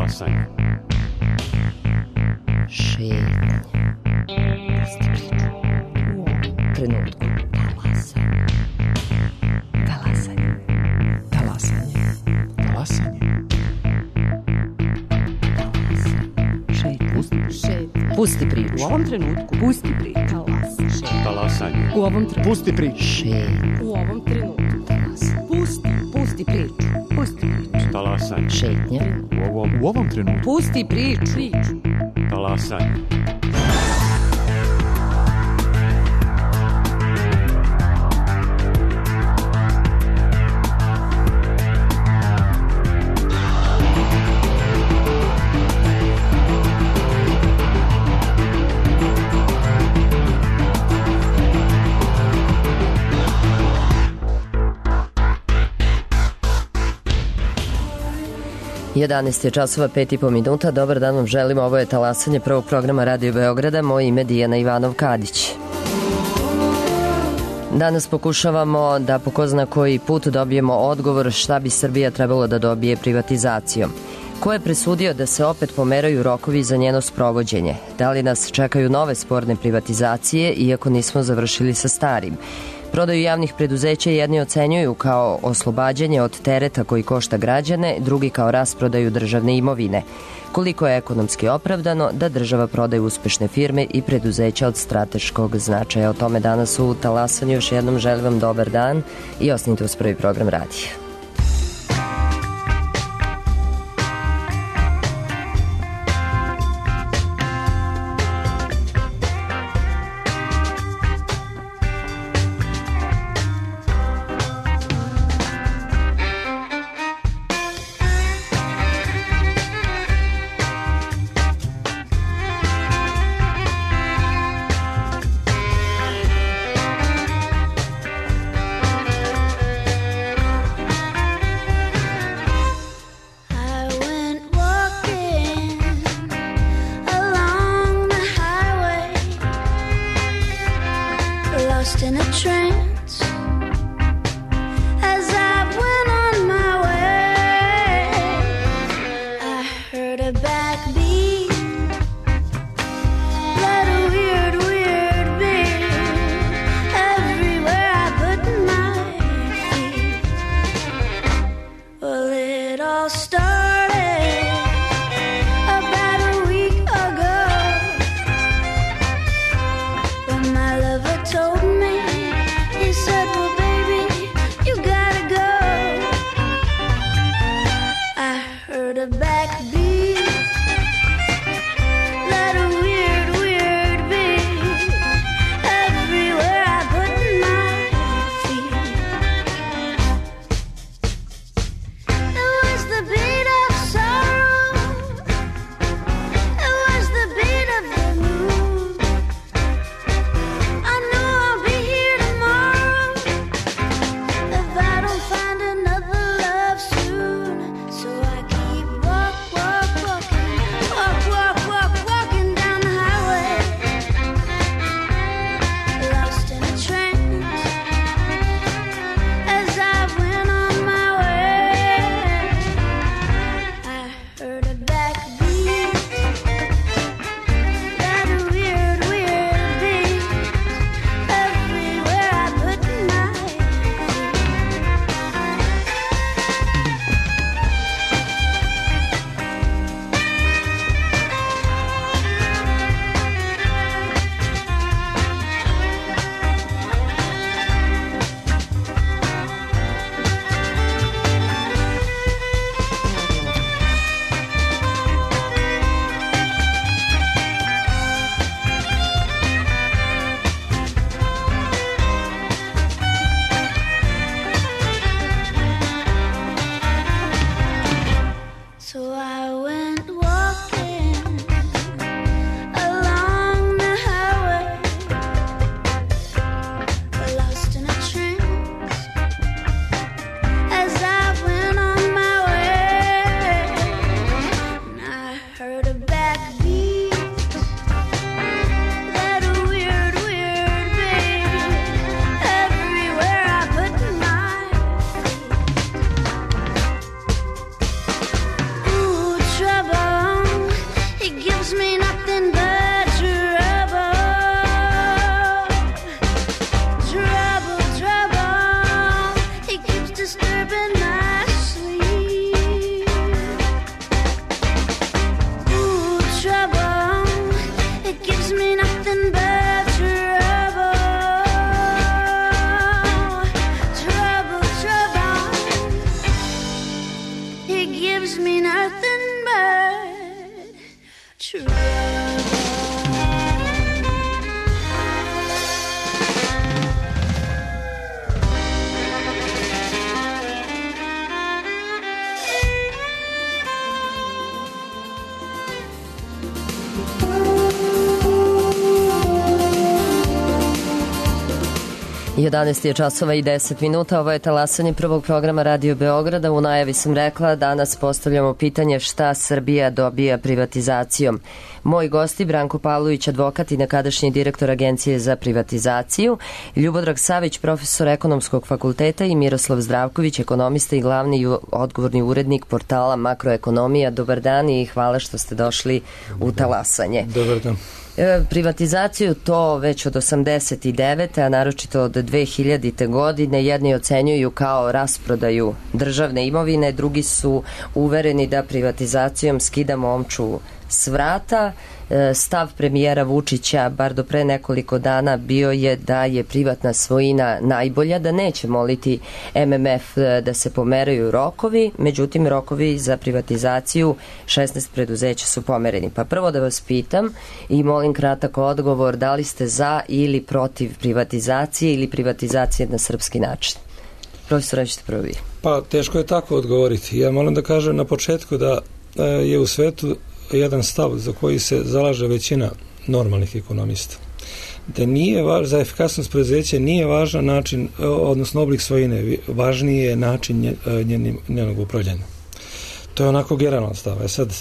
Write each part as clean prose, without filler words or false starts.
Talasanje. Šetnje. Pusti priču. U ovom trenutku. Talasanje. Talasanje. Talasanje. Talasanje. Šetnje. Pusti priču. U ovom trenutku. Pusti priču. Talasanje. U ovom trenutku. Pusti priču. Šetnje. U ovom trenutku. Pusti priču. Pusti priču. Talasanje. Šetnje. U ovom trenutku. Pusti priču. Talasanje. Jedanaest je časova, 5,5 minuta. Dobar dan vam želim. Ovo je Talasanje prvog programa Radio Beograda. Moje ime je Dijana Ivanov-Kadić. Danas pokušavamo da po ko zna koji put dobijemo odgovor šta bi Srbija trebalo da dobije privatizacijom. Ko je presudio da se opet pomeraju rokovi za njeno sprovođenje? Da li nas čekaju nove sporne privatizacije, iako nismo završili sa starim? Prodaju javnih preduzeća jedni ocenjuju kao oslobađanje od tereta koji košta građane, drugi kao rasprodaju državne imovine. Koliko je ekonomski opravdano da država prodaje uspešne firme i preduzeća od strateškog značaja? O tome danas u Talasanju. Još jednom želim vam dobar dan i ostanite uz prvi program radija. 11 je časova i 10 minuta, ovo je talasanje prvog programa Radio Beograda. U najavi sam rekla, danas postavljamo pitanje šta Srbija dobija privatizacijom. Moji gosti, Branko Pavlović, advokat i nekadašnji direktor Agencije za privatizaciju, Ljubodrag Savić, profesor Ekonomskog fakulteta i Miroslav Zdravković, ekonomista i glavni odgovorni urednik portala Makroekonomija. Dobar dan i hvala što ste došli u talasanje. Dobar dan. Privatizaciju to već od 89. a naročito od 2000. godine jedni ocenjuju kao rasprodaju državne imovine, drugi su uvereni da privatizacijom skidamo omču s vrata. Stav premijera Vučića, bar do pre nekoliko dana, bio je da je privatna svojina najbolja, da neće moliti MMF da se pomeraju rokovi, međutim rokovi za privatizaciju 16 preduzeća su pomereni. Pa prvo da vas pitam i molim kratak odgovor, da li ste za ili protiv privatizacije ili privatizacije na srpski način? Profesor, ćete prvo vi. Pa teško je tako odgovoriti. Ja moram da kažem na početku da je u svetu jedan stav za koji se zalaže većina normalnih ekonomista. Da nije za efikasnost preduzeća nije važan način, odnosno oblik svojine, važniji je način njenog upravljanja. To je onako generalan stav. Sad,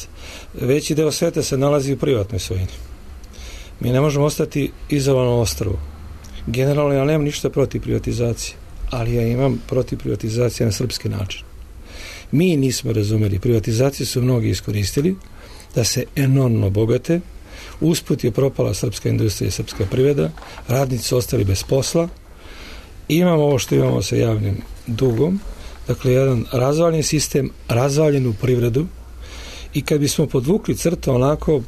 veći deo sveta se nalazi u privatnoj svojini. Mi ne možemo ostati izolovano ostrvo. Generalno ja nemam ništa protiv privatizacije, ali ja imam protiv privatizacije na srpski način. Mi nismo razumeli, privatizacije su mnogi iskoristili da se enormno bogate, usput je propala srpska industrija i srpska privreda, radnici su ostali bez posla, imamo ovo što imamo sa javnim dugom, dakle jedan razvaljen sistem, razvaljenu privredu, i kad bismo podvukli crtu onako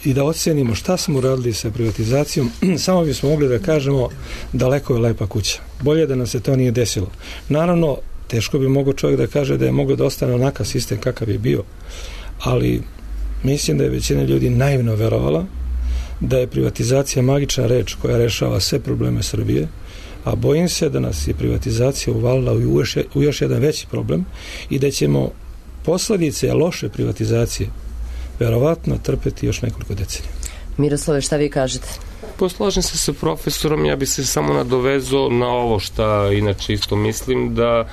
i da ocenimo šta smo uradili sa privatizacijom, samo bismo mogli da kažemo daleko je lepa kuća. Bolje da nam se to nije desilo. Naravno, teško bi mogao čovjek da kaže da je mogao da ostane onakav sistem kakav je bio, ali mislim da je većina ljudi naivno verovala da je privatizacija magična reč koja rešava sve probleme Srbije, a bojim se da nas je privatizacija uvalila u još jedan veći problem i da ćemo posledice loše privatizacije verovatno trpeti još nekoliko decenija. Miroslave, šta vi kažete? Poslažem se sa profesorom, ja bi se samo nadovezao na ovo šta inače isto mislim, da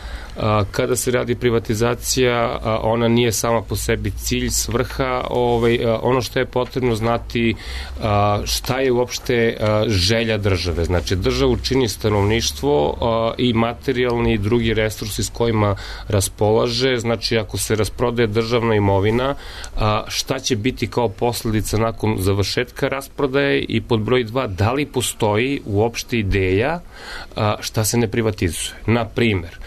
kada se radi privatizacija, ona nije sama po sebi cilj, svrha, ono što je potrebno znati šta je uopšte želja države. Znači, državu čini stanovništvo i materijalni i drugi resursi s kojima raspolaže. Znači, ako se rasprodaje državna imovina, šta će biti kao posledica nakon završetka rasprodaje, i pod broj 2, da li postoji uopšte ideja šta se ne privatizuje. Na primer,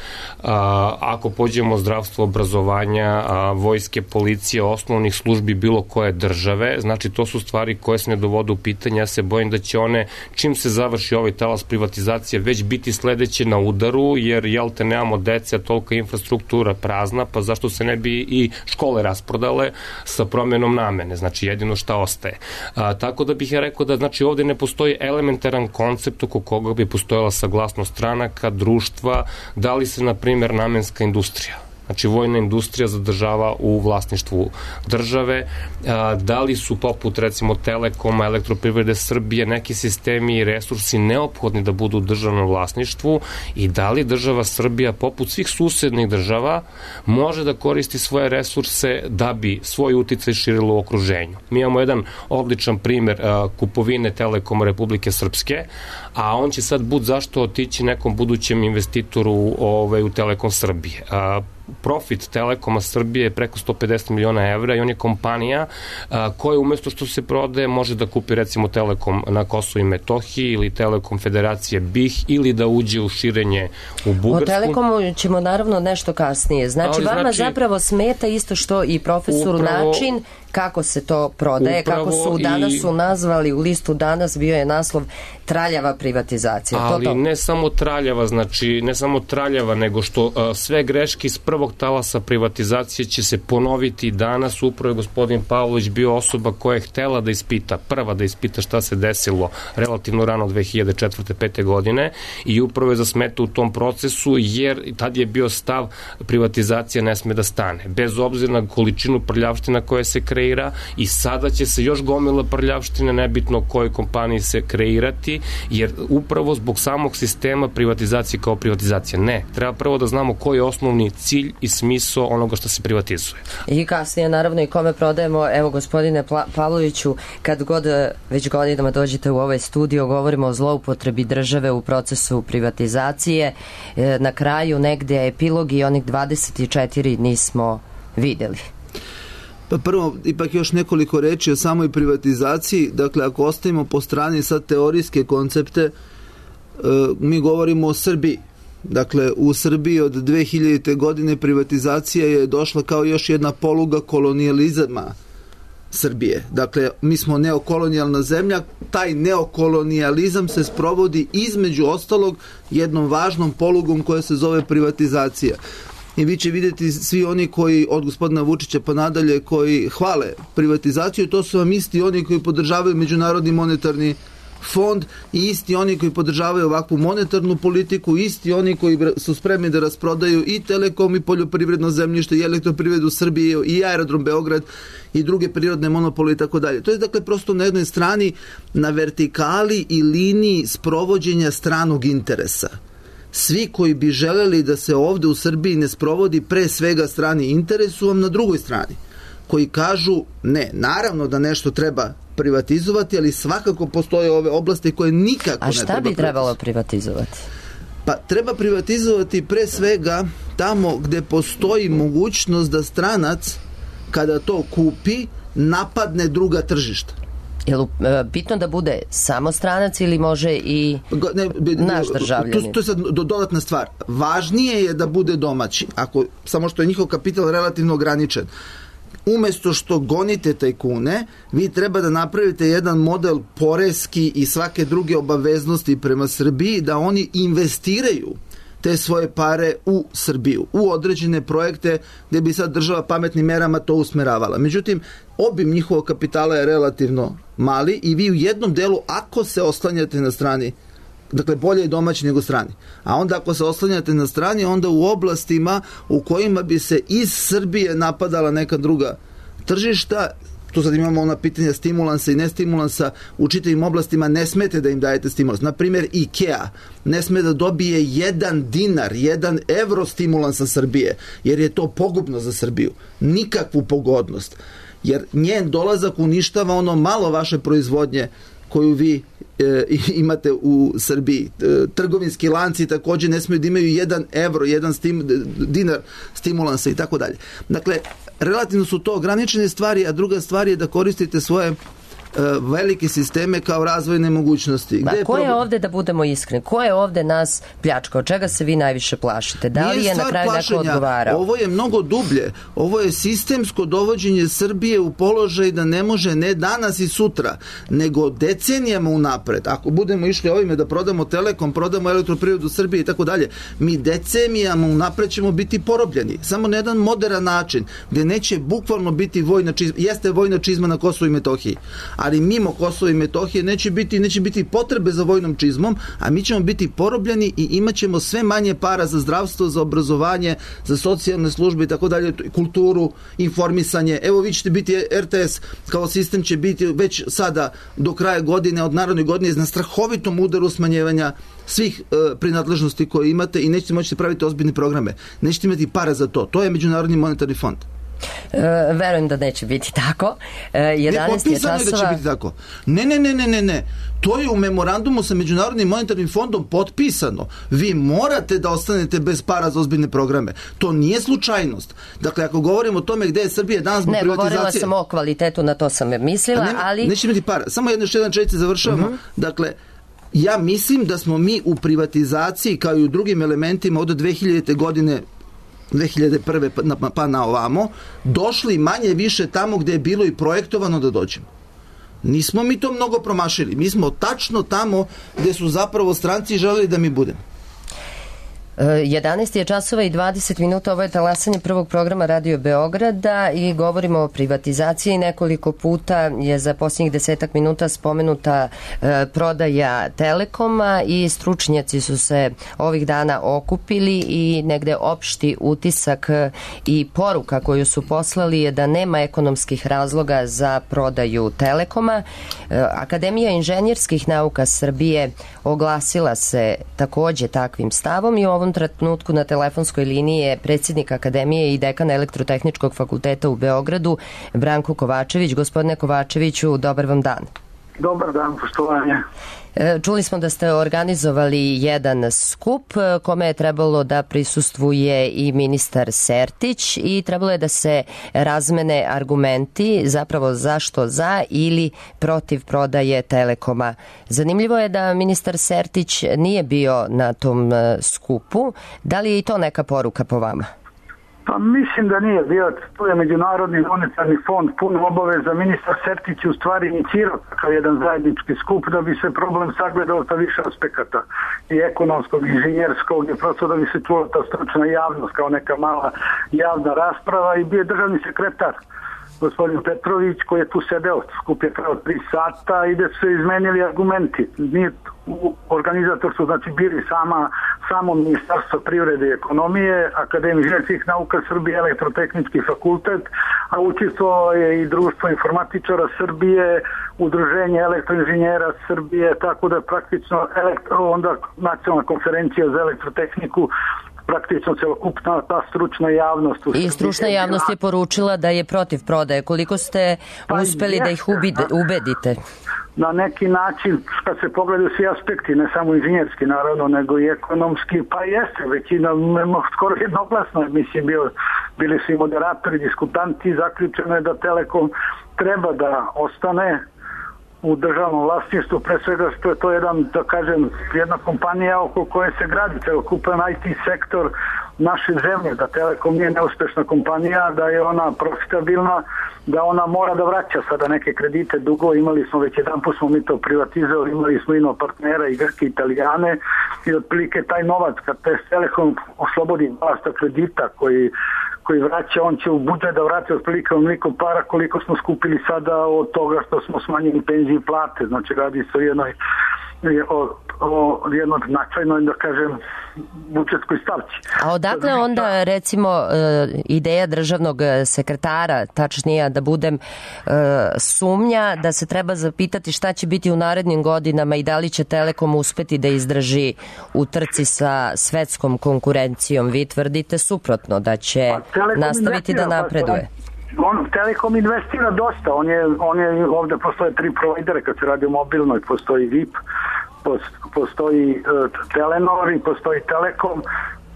ako pođemo zdravstvo, obrazovanja, vojske, policije, osnovnih službi bilo koje države, znači to su stvari koje se ne dovode u pitanje. Ja se bojim da će one, čim se završi ovaj talas privatizacije, već biti sledeće na udaru, jer jel te nemamo dece, a tolika infrastruktura prazna, pa zašto se ne bi i škole rasprodale sa promjenom namene, znači jedino šta ostaje. Tako da bih ja rekao da znači ovde ne postoji elementaran koncept oko koga bi postojala saglasnost stranaka, društva, da li se na primjer namenska industrija, znači vojna industrija zadržava u vlasništvu države, da li su poput recimo Telekoma, Elektroprivrede Srbije, neki sistemi i resursi neophodni da budu u državnom vlasništvu, i da li država Srbija poput svih susednih država može da koristi svoje resurse da bi svoj uticaj širilo u okruženju. Mi imamo jedan odličan primer kupovine Telekoma Republike Srpske, a on će sad bud zašto otići nekom budućem investitoru u Telekom Srbije. Profit Telekoma Srbije je preko 150 miliona evra i on je kompanija koja umjesto što se prodaje može da kupi recimo Telekom na Kosovo i Metohiji ili Telekom Federacije BiH ili da uđe u širenje u Bugarsku. O Telekomu ćemo naravno nešto kasnije. Znači vama zapravo smeta isto što i profesoru način kako se to prodaje, kako su danas su nazvali u listu danas, bio je naslov traljava privatizacija. Ali ne samo traljava, znači ne samo traljava, nego što sve greške iz prvog talasa privatizacije će se ponoviti danas. Upravo je gospodin Pavlović bio osoba koja je htela da ispita, prva da ispita šta se desilo relativno rano 2004. 5. godine, i upravo je zasmetao u tom procesu, jer tad je bio stav privatizacija ne sme da stane. Bez obzira na količinu prljavština koja se kreće, kreira i sada će se još gomila prljavštine, nebitno kojoj kompaniji se kreirati, jer upravo zbog samog sistema privatizacije kao privatizacija. Ne, treba prvo da znamo koji je osnovni cilj i smisao onoga što se privatizuje. I kasnije naravno i kome prodajemo. Evo, gospodine Pavloviću, kad god već godinama dođete u ovaj studio, govorimo o zloupotrebi države u procesu privatizacije. Na kraju negde epilog i onih 24 nismo videli. Pa prvo, ipak još nekoliko reči o samoj privatizaciji. Dakle, ako ostavimo po strani sad teorijske koncepte, mi govorimo o Srbiji. Dakle, u Srbiji od 2000. godine privatizacija je došla kao još jedna poluga kolonijalizama Srbije. Dakle, mi smo neokolonijalna zemlja, taj neokolonijalizam se sprovodi između ostalog jednom važnom polugom koja se zove privatizacija. I vi će vidjeti svi oni koji, od gospodina Vučića pa nadalje, koji hvale privatizaciju, to su vam isti oni koji podržavaju Međunarodni monetarni fond i isti oni koji podržavaju ovakvu monetarnu politiku, isti oni koji su spremni da rasprodaju i Telekom i poljoprivredno zemljište i Elektroprivredu Srbije i Aerodrom Beograd i druge prirodne monopole i tako dalje. To je dakle prosto na jednoj strani na vertikali i liniji sprovođenja stranog interesa. Svi koji bi želeli da se ovde u Srbiji ne sprovodi pre svega strani interes su vam na drugoj strani, koji kažu ne, naravno da nešto treba privatizovati, ali svakako postoje ove oblasti koje nikako ne treba. A šta bi trebalo privatizovati? Pa treba privatizovati pre svega tamo gde postoji mogućnost da stranac kada to kupi napadne druga tržišta. Je li bitno da bude samo stranac ili može i naš državljanin? To je sad dodatna stvar. Važnije je da bude domaći, samo što je njihov kapital relativno ograničen. Umesto što gonite tajkune, vi treba da napravite jedan model poreski i svake druge obaveznosti prema Srbiji, da oni investiraju te svoje pare u Srbiju, u određene projekte gde bi sad država pametnim merama to usmeravala. Međutim, obim njihovog kapitala je relativno mali i vi u jednom delu, ako se oslanjate na strani, dakle bolje je domaći nego strani, a onda ako se oslanjate na strani, onda u oblastima u kojima bi se iz Srbije napadala neka druga tržišta, tu sad imamo ona pitanja stimulansa i nestimulansa, u čitavim oblastima ne smete da im dajete stimulans. Naprimjer, IKEA ne sme da dobije 1 dinar, 1 evro stimulansa Srbije, jer je to pogubno za Srbiju. Nikakvu pogodnost. Jer njen dolazak uništava ono malo vaše proizvodnje koju vi imate u Srbiji. Trgovinski lanci također ne smiju da imaju 1 evro, 1 dinar stimulansa i tako dalje. Dakle, relativno su to ograničene stvari, a druga stvar je da koristite svoje velike sisteme kao razvojne mogućnosti. Ko je ovde, da budemo iskreni, ko je ovde nas pljačkao? Čega se vi najviše plašite? Da li je na kraju neko odgovarao? Ovo je mnogo dublje. Ovo je sistemsko dovođenje Srbije u položaj da ne može ne danas i sutra, nego decenijama unapred. Ako budemo išli ovime da prodamo Telekom, prodamo Elektroprivredu Srbije i tako dalje, mi decenijama unapred ćemo biti porobljeni. Samo na jedan moderan način, gde neće bukvalno biti vojna čizma. Jeste vojna čizma na Kosovu i Metohiji, ali mimo Kosova i Metohije neće biti potrebe za vojnom čizmom, a mi ćemo biti porobljeni i imat ćemo sve manje para za zdravstvo, za obrazovanje, za socijalne službe i tako dalje, kulturu, informisanje. Evo, vi ćete biti, RTS kao sistem će biti već sada do kraja godine, od narodne godine, na strahovitom udaru smanjevanja svih prinadležnosti koje imate i nećete moći praviti ozbiljne programe. Nećete imati para za to. To je Međunarodni monetarni fond. Verujem da neće biti tako. 11 je časova. Da će biti tako. Ne. To je u memorandumu sa Međunarodnim monetarnim fondom potpisano. Vi morate da ostanete bez para za ozbiljne programe. To nije slučajnost. Dakle, ako govorimo o tome gde je Srbija danas zbog privatizacije... Ne, govorila sam o kvalitetu, na to sam mislila, ali... Neće imati para. Samo jedan čelice završavamo. Dakle, ja mislim da smo mi u privatizaciji, kao i u drugim elementima od 2000. godine 2001. pa na ovamo, došli manje više tamo gde je bilo i projektovano da dođemo. Nismo mi to mnogo promašili. Mi smo tačno tamo gde su zapravo stranci želeli da mi budemo. 11 je časova i 20 minuta, ovo je talasanje prvog programa Radio Beograda i govorimo o privatizaciji. Nekoliko puta je za posljednjih 10 minuta spomenuta prodaja Telekoma i stručnjaci su se ovih dana okupili i negde opšti utisak i poruka koju su poslali je da nema ekonomskih razloga za prodaju Telekoma. Akademija inženjerskih nauka Srbije oglasila se takođe takvim stavom i u ovom trenutku na telefonskoj liniji je predsjednik Akademije i dekan Elektrotehničkog fakulteta u Beogradu, Branko Kovačević. Gospodine Kovačeviću, dobar vam dan. Dobar dan, poštovanje. Čuli smo da ste organizovali jedan skup kome je trebalo da prisustvuje i ministar Sertić i trebalo je da se razmene argumenti zapravo zašto za ili protiv prodaje Telekoma. Zanimljivo je da ministar Sertić nije bio na tom skupu. Da li je i to neka poruka po vama? Pa mislim da nije bio. Tu je Međunarodni monetarni fond puno obaveza. Ministar Sertić u stvari inicirao kao jedan zajednički skup da bi se problem sagledao sa više aspekata i ekonomskog, i inženjerskog, i prosto da bi se čula ta stručna javnost kao neka mala javna rasprava i bio je državni sekretar gospodin Petrović koji je tu sedeo. Skup je trajao 3 sata i da su se izmenili argumenti. Organizator su znači bili samo Ministarstvo privrede i ekonomije, Akademija inženjerskih nauka Srbije, Elektrotehnički fakultet, a učestvovalo je i Društvo informatičara Srbije, Udruženje elektroinženjera Srbije, tako da praktično onda Nacionalna konferencija za elektrotehniku, praktično celokupna ta stručna javnost. I stručna javnost je poručila da je protiv prodaje. Koliko ste uspeli da ih ubedite? Na neki način, kad se pogledaju svi aspekti, ne samo inženjerski naravno, nego i ekonomski, pa jeste, većina, skoro jednoglasno, mislim, bili su i moderatori, diskutanti, zaključeno je da Telekom treba da ostane u državnom vlasništvu, pre svega što je to jedna kompanija oko koje se gradi celokupan IT sektor naše zemlje, da Telekom nije neuspešna kompanija, da je ona profitabilna, da ona mora da vraća sada neke kredite dugo, imali smo već jedanput smo mi to privatizovali, imali smo ino partnera i Grke i Italijane i otprilike taj novac kad Telekom oslobodi vlasta kredita koji vraća, on će u budžet da vrati otprilike onoliko para koliko smo skupili sada od toga što smo smanjili penzije i plate, znači radi se o jednoj značajnoj, da kažem, budžetskoj stavci. A odakle onda, recimo, ideja državnog sekretara, tačnije da budem sumnja, da se treba zapitati šta će biti u narednim godinama i da li će Telekom uspeti da izdrži u trci sa svetskom konkurencijom? Vi tvrdite suprotno, da će nastaviti da napreduje. Telekom investira dosta, on je ovde postoje 3 provajdere kad se radi o mobilnoj, postoji VIP, postoji Telenor i postoji Telekom.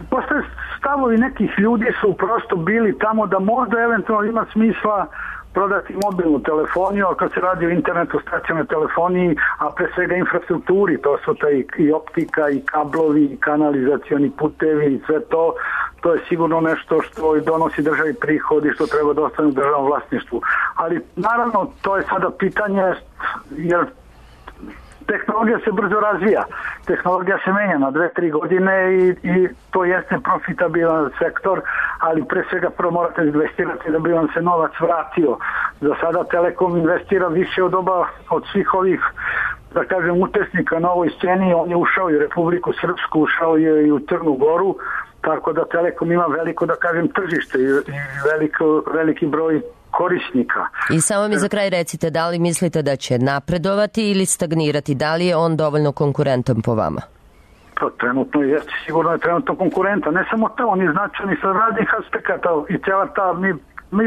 Postoje stavovi nekih ljudi su prosto bili tamo da možda eventualno ima smisla prodati mobilnu telefoniju, a kad se radi o internetu, stacionarnoj telefoniji, a pre svega infrastrukturi, to su i optika, i kablovi, i kanalizacioni putevi, i sve to, to je sigurno nešto što donosi državi prihod i što treba da ostane u državnom vlasništvu. Ali naravno, to je sada pitanje, jer tehnologija se brzo razvija, tehnologija se menja na 2-3 godine i to jeste profitabilan sektor, ali pre svega prvo morate investirati da bi vam se novac vratio. Za sada Telekom investira više od svih ovih, da kažem, učesnika na ovoj sceni. On je ušao i u Republiku Srpsku, ušao je i u Crnu Goru, tako da Telekom ima veliko, da kažem, tržište i veliki broj korisnika. I samo mi za kraj recite, da li mislite da će napredovati ili stagnirati? Da li je on dovoljno konkurentan po vama? To trenutno jeste, sigurno je trenutno konkurentan. Ne samo to, on je značajni sa raznih aspekata i cijela ta,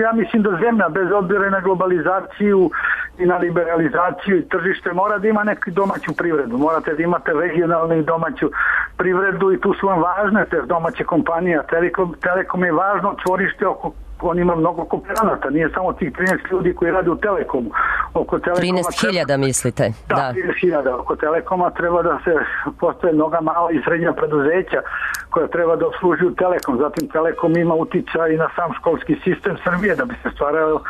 ja mislim da zemlja bez obzira na globalizaciju i na liberalizaciju i tržište mora da ima neku domaću privredu. Morate da imate regionalnu i domaću privredu i tu su vam važne te domaće kompanije. Telekom je važno čvorište oko, on ima mnogo kooperanata, nije samo tih 13 ljudi koji rade u Telekomu. 13.000 mislite? Da, 13.000. Oko Telekoma treba da se postoje mnoga mala i srednja preduzeća koja treba da obslužuju Telekom. Zatim Telekom ima uticaj i na sam školski sistem Srbije da bi se stvarao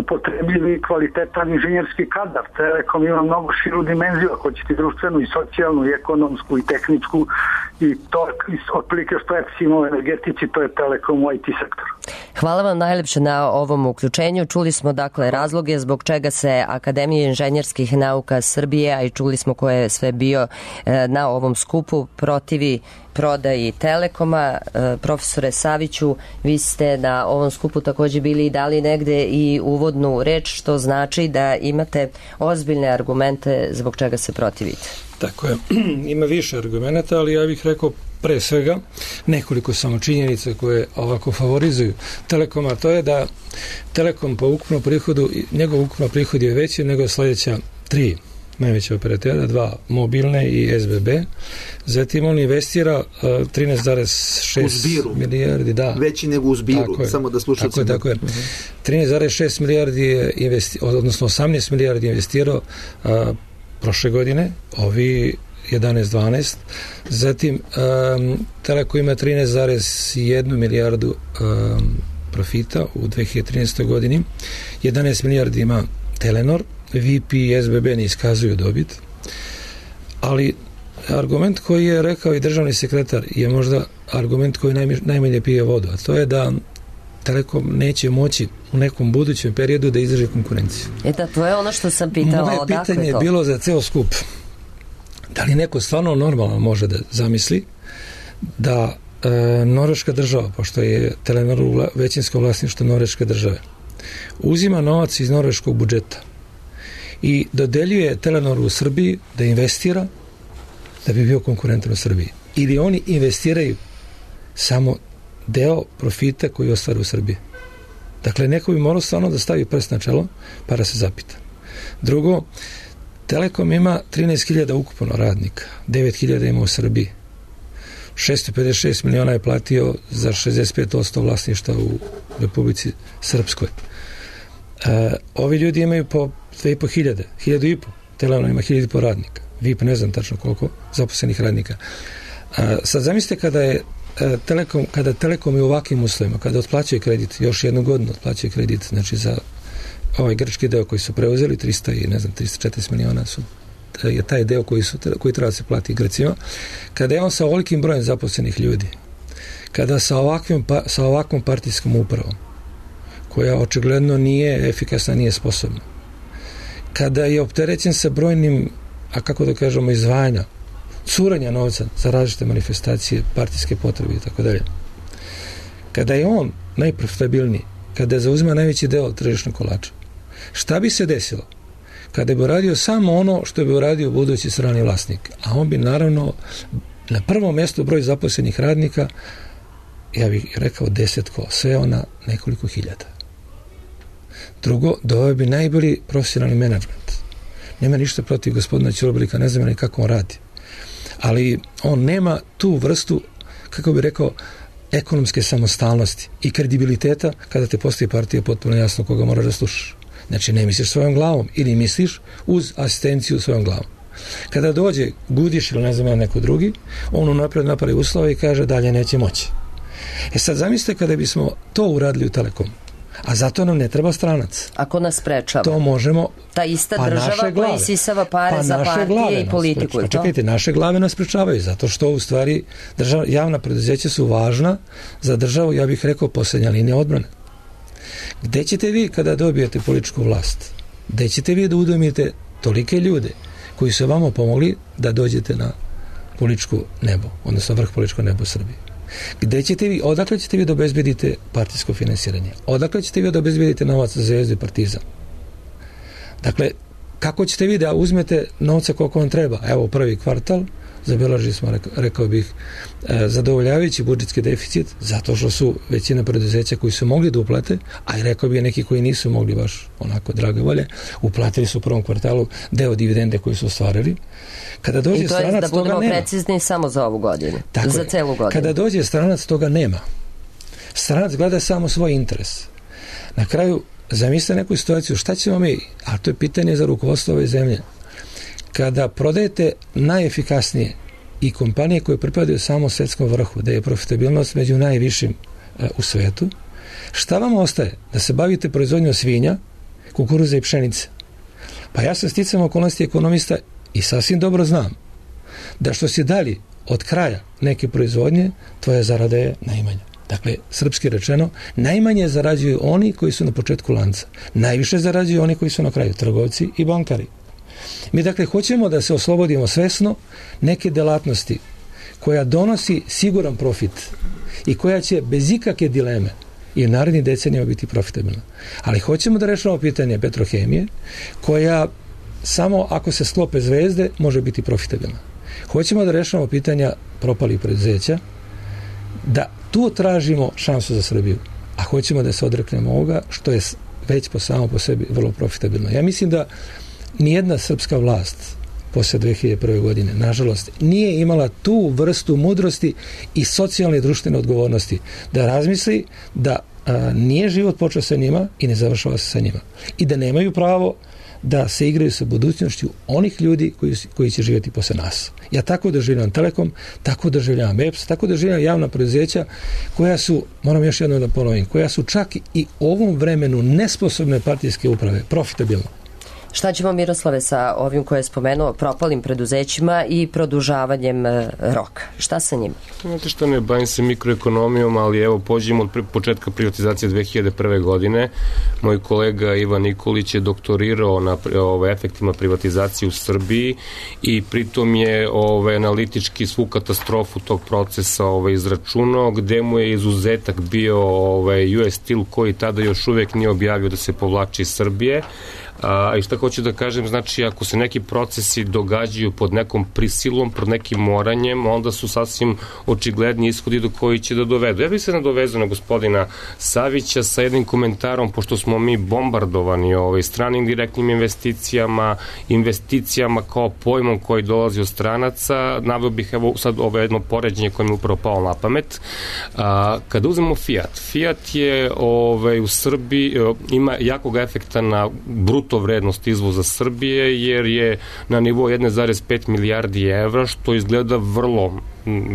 upotrebljivi kvalitetan inženjerski kadar. Telekom ima mnogo širu dimenziju, ako ćete društvenu i socijalnu i ekonomsku i tehničku, i to otprilike što EPS ima u energetici, to je Telekom u IT sektoru. Hvala vam najlepše na ovom uključenju. Čuli smo dakle razloge zbog čega se Akademija inženjerskih nauka Srbije, a i čuli smo ko je sve bio na ovom skupu, protivi prodaji Telekoma. Profesore Saviću, vi ste na ovom skupu takođe bili i dali negde i uvodnu reč, što znači da imate ozbiljne argumente zbog čega se protivite. Tako je, ima više argumenta, ali ja bih rekao pre svega nekoliko samo činjenica koje ovako favorizuju Telekoma, to je da Telekom po ukupnom prihodu, njegov ukupno prihod je veći nego sledeća 3 najveća operatera, 2 mobilne i SBB. Zatim on investira 13,6 milijardi, da. Veći nego u Zbiru, samo da slušate. Tako je. 13,6 milijardi je odnosno 18 milijardi investirao prošle godine, ovi 11-12. Zatim Telekom ima 13,1 milijardu profita u 2013. godini. 11 milijardi ima Telenor, VIP i SBB ne iskazuju dobit, ali argument koji je rekao i državni sekretar je možda argument koji najmanje pije vodu, a to je da Telekom neće moći u nekom budućem periodu da izdrži konkurenciju. Da, to je ono što sam pitala. Moje pitanje je bilo za ceo skup. Da li neko stvarno normalno može da zamisli da norveška država, pošto je Telenor većinsko vlasništvo norveške države, uzima novac iz norveškog budžeta i dodeljuje Telenoru u Srbiji da investira da bi bio konkurentan u Srbiji. Ili oni investiraju samo deo profita koji ostvaru u Srbiji. Dakle, neko bi morao stvarno da stavi prst na čelo pa da se zapita. Drugo, Telekom ima 13.000 ukupno radnika, 9.000 ima u Srbiji. 656 miliona je platio za 65% vlasništva u Republici Srpskoj. Ovi ljudi imaju po 2.500, 1.500. Telenor ima 1.500 radnika. VIP ne znam tačno koliko zaposlenih radnika. Sad zamislite kada Telekom je u ovakvim uslovima, kada otplaćuje kredit, još jednu godinu otplaćuje kredit, znači za ovaj grčki deo koji su preuzeli, 340 miliona je taj deo koji treba da se plati Grcima, kada je on sa ovolikim brojem zaposlenih ljudi, kada sa ovakvom partijskom upravom, koja očigledno nije efikasna, nije sposobna, kada je opterećen sa brojnim, a kako da kažemo, izdvajanja, curanja novca za različite manifestacije, partijske potrebe i tako dalje. Kada je on najprofitabilniji, kada zauzima najveći deo tržišnog kolača, šta bi se desilo kada bi uradio samo ono što bi uradio budući strani vlasnik? A on bi naravno na prvom mjestu broj zaposlenih radnika, ja bih rekao 10 sve ona nekoliko hiljada. Drugo, doveo bi najbolji profesionalni menadžment. Nema ništa protiv gospodina Ćurobrika, ne znam ni kako on radi. Ali on nema tu vrstu, kako bi rekao, ekonomske samostalnosti i kredibiliteta kada te postoji partija potpuno jasno koga moraš da slušaš. Znači, ne misliš svojom glavom ili misliš uz asistenciju svojom glavom. Kada dođe Gudiš ili ne znam neko drugi, on unapred napravi uslove i kaže dalje neće moći. Sad zamislite kada bismo to uradili u Telekomu, a zato nam ne treba stranac. Ako nas sprečava. To možemo. Ta ista država koja isisava pare za partije i politiku. Pa čekajte, naše glave nas sprečavaju, zato što u stvari javna preduzeća su važna za državu, ja bih rekao, posljednja linija odbrane. Gde ćete vi kada dobijete političku vlast? Gde ćete vi da udomite tolike ljude koji su vama pomogli da dođete na političko nebo, odnosno vrh političko nebo Srbije? Gde ćete vi, odakle ćete vi da obezbedite partijsko finansiranje? Odakle ćete vi da obezbedite novac za Zvezdu i Partizan? Dakle, kako ćete vi da uzmete novca koliko vam treba? Evo, prvi kvartal, zabeležili smo, rekao bih, zadovoljavajući budžetski deficit, zato što su većina preduzeća koji su mogli da uplate, a i rekao bih neki koji nisu mogli baš onako drage volje, uplatili su u prvom kvartalu deo dividende koji su ostvarili. Kada dođe i to je stranac, da budemo precizni samo za ovu godinu, tako za celu godinu. Kada dođe stranac, toga nema. Stranac gleda samo svoj interes. Na kraju, zamislite neku situaciju, šta ćemo mi, a to je pitanje za rukovodstvo ove zemlje, kada prodajete najefikasnije i kompanije koje pripadaju samo svetskom vrhu, da je profitabilnost među najvišim u svetu, šta vam ostaje? Da se bavite proizvodnjom svinja kukuruza i pšenice. Pa ja sam sticam okolnosti ekonomista i sasvim dobro znam da što si dali od kraja neke proizvodnje, tvoja zarada je najmanja. Dakle, srpski rečeno, najmanje zarađuju oni koji su na početku lanca. Najviše zarađuju oni koji su na kraju, trgovci i bankari. Mi dakle hoćemo da se oslobodimo svesno neke delatnosti koja donosi siguran profit i koja će bez ikakve dileme i u narednih decenijama biti profitabilna. Ali hoćemo da rešavamo pitanje Petrohemije, koja samo ako se sklope zvezde može biti profitabilna. Hoćemo da rešavamo pitanja propalih preduzeća, da tu tražimo šansu za Srbiju, a hoćemo da se odreknemo ovoga što je već samo po sebi vrlo profitabilno. Ja mislim da nijedna srpska vlast posle 2001. godine, nažalost, nije imala tu vrstu mudrosti i socijalne i društvene odgovornosti da razmisli da nije život počeo sa njima i ne završava se sa njima. I da nemaju pravo da se igraju sa budućnošću onih ljudi koji će živjeti posle nas. Ja tako doživljavam Telekom, tako doživljavam EPS, tako doživljavam javna preduzeća koja su, moram još jednom da ponovim, koja su čak i u ovom vremenu nesposobne partijske uprave profitabilne. Šta ćemo, Miroslave, sa ovim koje je spomenuo, propalim preduzećima i produžavanjem roka? Šta sa njima? Znate što, ne bavim se mikroekonomijom, ali evo, pođemo od početka privatizacije 2001. godine. Moj kolega Ivan Nikolić je doktorirao na efektima privatizacije u Srbiji i pritom je analitički svu katastrofu tog procesa izračunao, gde mu je izuzetak bio US Steel, koji tada još uvek nije objavio da se povlači iz Srbije. I šta hoću da kažem, znači ako se neki procesi događaju pod nekom prisilom, pod nekim moranjem, onda su sasvim očigledni ishodi do koji će da dovedu. Ja bih se nadovezao na gospodina Savića sa jednim komentarom, pošto smo mi bombardovani stranim direktnim investicijama kao pojmom koji dolazi od stranaca. Naveo bih evo sad jedno poređenje koje mi je upravo palo na pamet. Kada uzmemo Fiat je u Srbiji ima jakog efekta na bruto vrednost izvoza Srbije, jer je na nivou 1,5 milijardi evra, što izgleda vrlo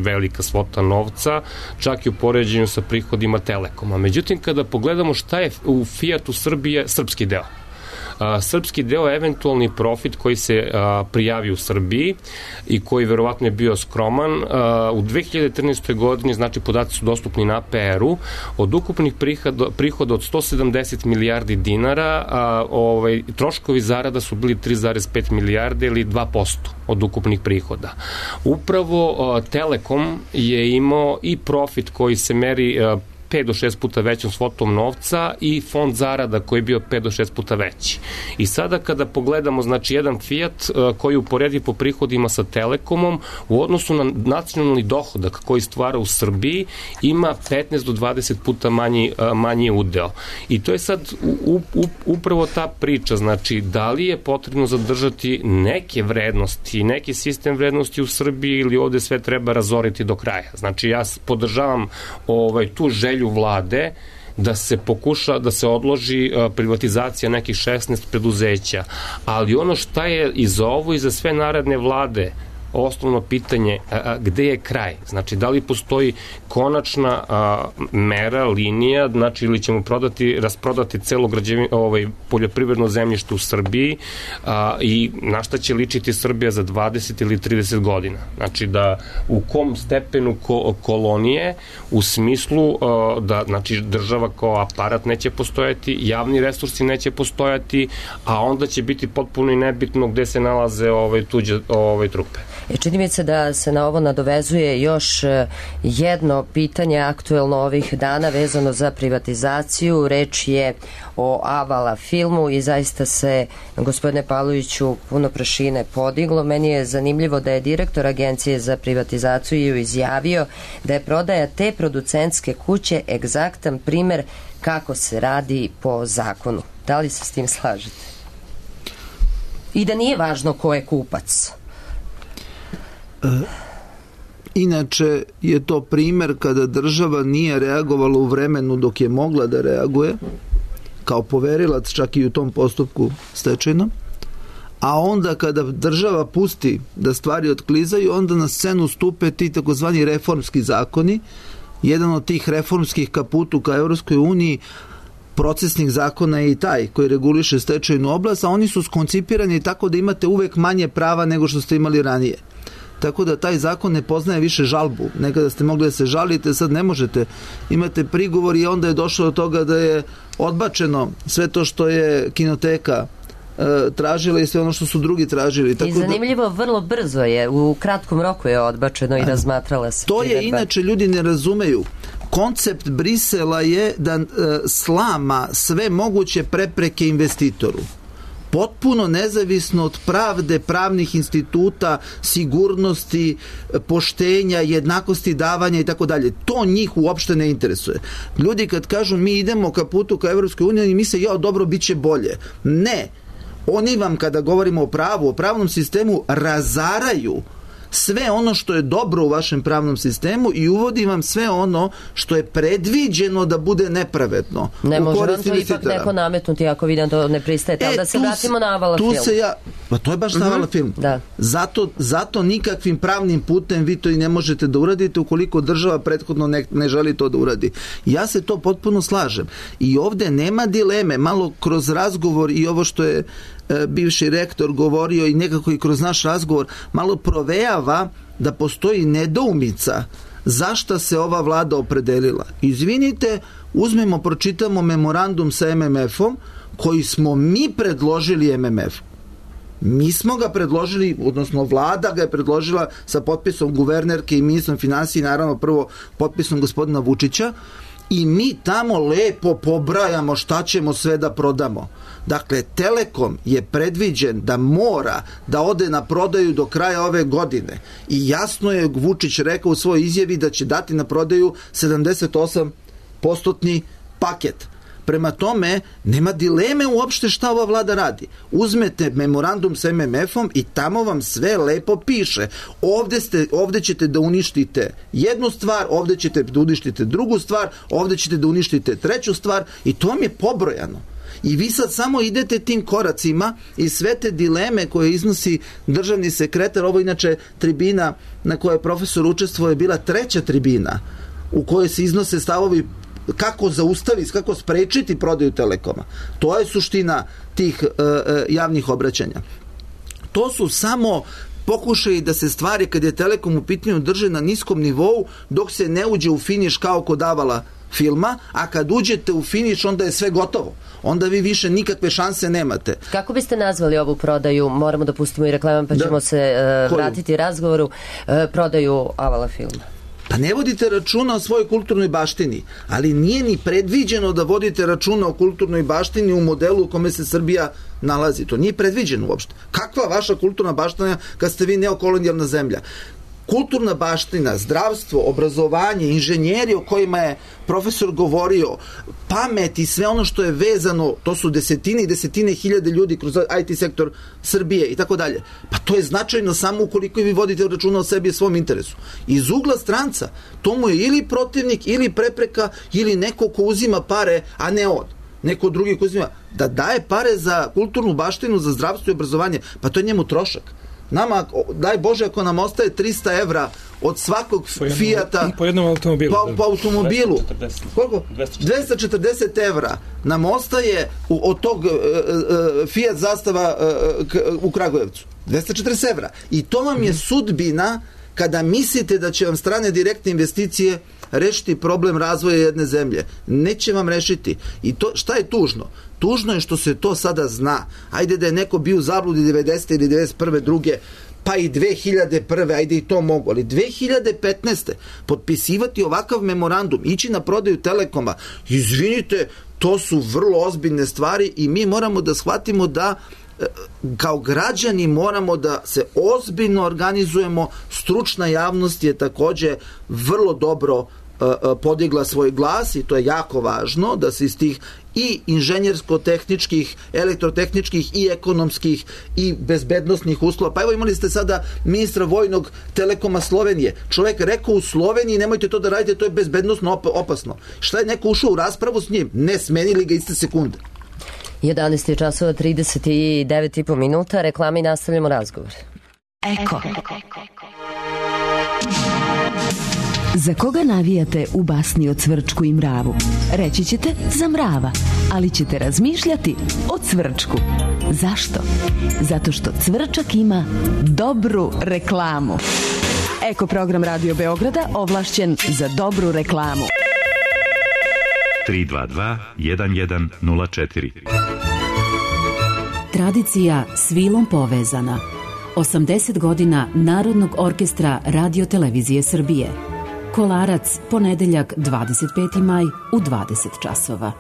velika svota novca, čak i u poređenju sa prihodima Telekoma. Međutim, kada pogledamo šta je u Fiatu Srbije srpski deo. Srpski deo je eventualni profit koji se prijavi u Srbiji i koji verovatno je bio skroman. U 2013. godini, znači podaci su dostupni na APR-u, od ukupnih prihoda od 170 milijardi dinara, troškovi zarada su bili 3,5 milijarde ili 2% od ukupnih prihoda. Upravo Telekom je imao i profit koji se meri 5 do 6 puta većom svotom novca i fond zarada koji je bio 5 do 6 puta veći. I sada kada pogledamo, znači, jedan Fiat koji uporedi po prihodima sa Telekomom u odnosu na nacionalni dohodak koji stvara u Srbiji, ima 15 do 20 puta manji udeo. I to je sad upravo ta priča, znači, da li je potrebno zadržati neke vrednosti, neki sistem vrednosti u Srbiji ili ovde sve treba razoriti do kraja. Znači, ja podržavam tu želju vlade da se pokuša, da se odloži privatizacija nekih 16 preduzeća. Ali ono šta je i za ovo i za sve naredne vlade osnovno pitanje, gde je kraj? Znači, da li postoji konačna mera, linija, znači, ili ćemo rasprodati celo poljoprivredno zemljište u Srbiji i na šta će ličiti Srbija za 20 ili 30 godina? Znači, da u kom stepenu kolonije, u smislu da, znači, država kao aparat neće postojati, javni resursi neće postojati, a onda će biti potpuno i nebitno gde se nalaze tuđe trupe. Čini mi se da se na ovo nadovezuje još jedno pitanje aktuelno ovih dana vezano za privatizaciju. Reč je o Avala filmu i zaista se, gospodine Pavloviću, puno prašine podiglo. Meni je zanimljivo da je direktor Agencije za privatizaciju izjavio da je prodaja te producentske kuće egzaktan primer kako se radi po zakonu. Da li se s tim slažete? I da nije važno ko je kupac? Inače je to primer kada država nije reagovala u vremenu dok je mogla da reaguje kao poverilac čak i u tom postupku stečajnom, a onda kada država pusti da stvari otklizaju, onda na scenu stupe ti takozvani reformski zakoni. Jedan od tih reformskih kaputu ka Evropskoj uniji procesnih zakona je i taj koji reguliše stečajnu oblast, a oni su skoncipirani tako da imate uvek manje prava nego što ste imali ranije. Tako da taj zakon ne poznaje više žalbu. Nekada ste mogli da se žalite, sad ne možete. Imate prigovor i onda je došlo do toga da je odbačeno sve to što je kinoteka tražila i sve ono što su drugi tražili. Tako i zanimljivo, vrlo brzo je, u kratkom roku je odbačeno i razmatrala se. To je inače, ljudi ne razumeju. Koncept Brisela je da slama sve moguće prepreke investitoru. Potpuno nezavisno od pravde, pravnih instituta, sigurnosti, poštenja, jednakosti davanja i tako dalje. To njih uopšte ne interesuje. Ljudi kad kažu mi idemo ka putu ka Evropskoj uniji, misle dobro, bit će bolje. Ne. Oni vam, kada govorimo o pravu, o pravnom sistemu, razaraju sve ono što je dobro u vašem pravnom sistemu i uvodi vam sve ono što je predviđeno da bude nepravedno. Ne može vam to ipak neko nametnuti ako vidim da ne pristajete, ali da se vratimo na Avala film. Pa to je baš na Avala film. Da. Zato nikakvim pravnim putem vi to i ne možete da uradite ukoliko država prethodno ne želi to da uradi. Ja se to potpuno slažem. I ovde nema dileme, malo kroz razgovor i ovo što je bivši rektor govorio i nekako i kroz naš razgovor malo provejava da postoji nedoumica zašta se ova vlada opredelila. Izvinite, pročitamo memorandum sa MMF-om koji smo mi predložili MMF-u. Mi smo ga predložili, odnosno vlada ga je predložila sa potpisom guvernerke i ministrom finansija i naravno prvo potpisom gospodina Vučića i mi tamo lepo pobrajamo šta ćemo sve da prodamo. Dakle, Telekom je predviđen da mora da ode na prodaju do kraja ove godine i jasno je Vučić rekao u svojoj izjavi da će dati na prodaju 78% paket. Prema tome, nema dileme uopšte šta ova vlada radi. Uzmete memorandum sa MMF-om i tamo vam sve lepo piše. Ovde ćete da uništite jednu stvar, ovde ćete da uništite drugu stvar, ovde ćete da uništite treću stvar i to vam je pobrojano. I vi sad samo idete tim koracima i sve te dileme koje iznosi državni sekretar, ovo inače tribina na kojoj je profesor učestvovao je bila treća tribina u kojoj se iznose stavovi kako zaustaviti, kako sprečiti prodaju Telekoma. To je suština tih javnih obraćanja. To su samo pokušaji da se stvari kad je Telekom u pitanju drže na niskom nivou dok se ne uđe u finiš kao kod Avala filma, a kad uđete u finiš onda je sve gotovo. Onda vi više nikakve šanse nemate. Kako biste nazvali ovu prodaju? Moramo da pustimo i reklamu pa ćemo se vratiti razgovoru. Prodaju Avala filma. Pa ne vodite računa o svojoj kulturnoj baštini, ali nije ni predviđeno da vodite računa o kulturnoj baštini u modelu u kome se Srbija nalazi. To nije predviđeno uopšte. Kakva vaša kulturna baština kad ste vi neokolonijalna zemlja? Kulturna baština, zdravstvo, obrazovanje, inženjeri o kojima je profesor govorio, pamet i sve ono što je vezano, to su desetine i desetine hiljade ljudi kroz IT sektor Srbije i tako dalje. Pa to je značajno samo ukoliko vi vodite računa o sebi i svom interesu. Iz ugla stranca, to mu je ili protivnik, ili prepreka, ili neko ko uzima pare, a ne on. Neko drugi ko uzima. Da daje pare za kulturnu baštinu, za zdravstvo i obrazovanje, pa to je njemu trošak. Nama, daj Bože, ako nam ostaje 300 evra od svakog Fijata po jednom automobilu. Po automobilu. 240. Koliko? 240 evra nam ostaje od tog Fijat zastava u Kragujevcu. 240 evra. I to vam je sudbina kada mislite da će vam strane direktne investicije rešiti problem razvoja jedne zemlje. Neće vam rešiti. I to, šta je tužno? Tužno je što se to sada zna. Ajde da je neko bio u zabludi 90. ili 91. druge, pa i 2001. ajde i to mogu, ali 2015. potpisivati ovakav memorandum, ići na prodaju Telekoma, izvinite, to su vrlo ozbiljne stvari i mi moramo da shvatimo da kao građani moramo da se ozbiljno organizujemo. Stručna javnost je takođe vrlo dobro podigla svoj glas i to je jako važno da se iz tih i inženjersko-tehničkih, elektrotehničkih i ekonomskih i bezbednostnih uslova. Pa evo imali ste sada ministra vojnog Telekoma Slovenije. Čovjek rekao u Sloveniji nemojte to da radite, to je bezbednostno opasno. Šta je neko ušao u raspravu s njim? Ne, smenili ga iste sekunde. 11 časova 39,5 minuta, reklama i nastavljamo razgovor. Eko. Za koga navijate u basni o Cvrčku i mravu? Reći ćete za mrava, ali ćete razmišljati o Cvrčku. Zašto? Zato što Cvrčak ima dobru reklamu. Eko program Radio Beograda ovlašćen za dobru reklamu. 322 1104. Tradicija s vilom povezana. 80 godina Narodnog orkestra Radio Televizije Srbije. Kolarac, ponedeljak 25. maj u 20 časova.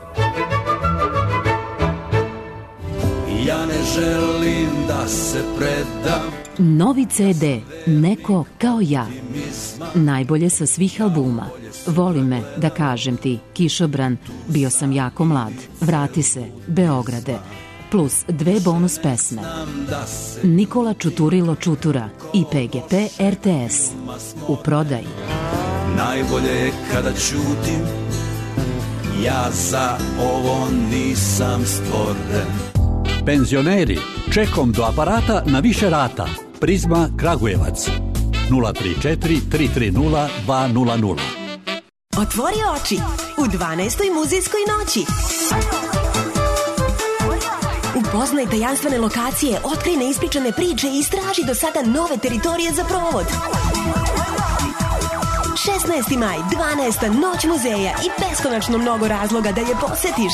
Ja ne želim da se predam. Novi CD Neko kao ja. Najbolje sa svih albuma. Voli me, da kažem ti, Kišobran, Bio sam jako mlad, Vrati se, Beograde, plus 2 bonus pesme. Nikola Čuturilo Čutura i PGP RTS. U prodaji. Najbolje je kada ćutim, ja za ovo nisam stvoren. Penzioneri, čekom do aparata na više rata. Prizma Kragujevac 034 330 200. Otvori oči u 12. muzejskoj noći. Upoznaj tajanstvene lokacije, otkrij neispričane priče i istraži do sada nove teritorije za provod. 16. maj, 12. noć muzeja i beskonačno mnogo razloga da je posetiš.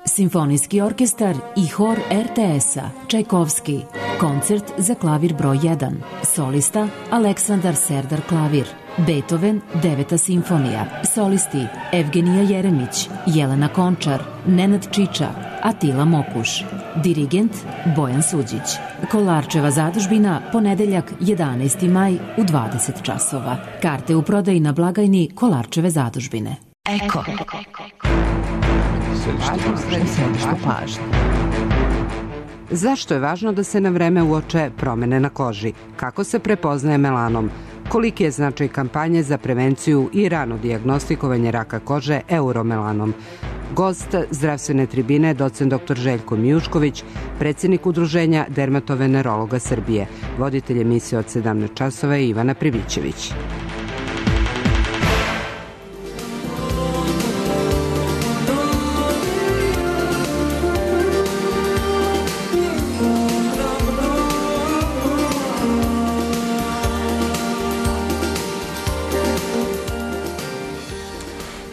Simfonijski orkestar i hor RTS-a Čajkovski. Koncert za klavir broj 1. Solista Aleksandar Serdar klavir. Beethoven 9. simfonija. Solisti Evgenija Jeremić, Jelena Končar, Nenad Čiča, Atila Mokuš. Dirigent Bojan Suđić. Kolarčeva zadužbina, ponedeljak 11. maj u 20 časova. Karte u prodaji na blagajni Kolarčeve zadužbine. Eko. Središte pažnje. Zašto je važno da se na vreme uoče promene na koži? Kako se prepoznaje melanom? Koliki je značaj kampanje za prevenciju i rano dijagnostikovanje raka kože euromelanom? Gost zdravstvene tribine, docent dr. Željko Mijušković, predsjednik Udruženja dermatovenerologa Srbije. Voditelj emisije od 17 časova je Ivana Privićević.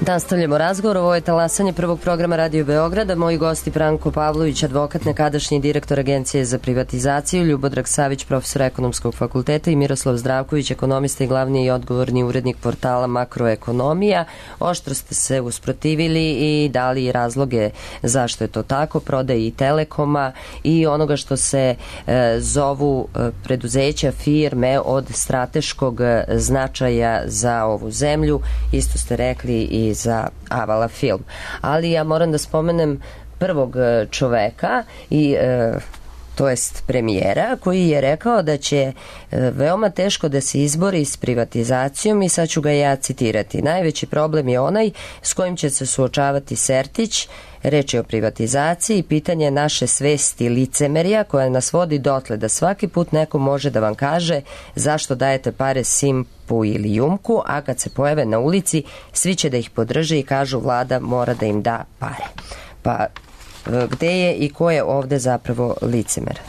Nastavljamo razgovor, ovo je talasanje prvog programa Radio Beograda. Moji gosti Branko Pavlović, advokat, nekadašnji direktor Agencije za privatizaciju, Ljubodrag Savić, profesor ekonomskog fakulteta i Miroslav Zdravković, ekonomista i glavni i odgovorni urednik portala Makroekonomija. Oštro ste se usprotivili i dali razloge zašto je to tako, prodaji Telekoma i onoga što se zovu preduzeća, firme od strateškog značaja za ovu zemlju. Isto ste rekli i za Avala film. Ali ja moram da spomenem prvog čoveka i to jest premijera, koji je rekao da će veoma teško da se izbori s privatizacijom i sad ću ga ja citirati. Najveći problem je onaj s kojim će se suočavati Sertić. Reč je o privatizaciji i pitanje naše svesti licemerja koja nas vodi dotle da svaki put neko može da vam kaže zašto dajete pare Simpu ili Jumku, a kad se pojave na ulici svi će da ih podrže i kažu vlada mora da im da pare. Pa gde je i ko je ovde zapravo licemer?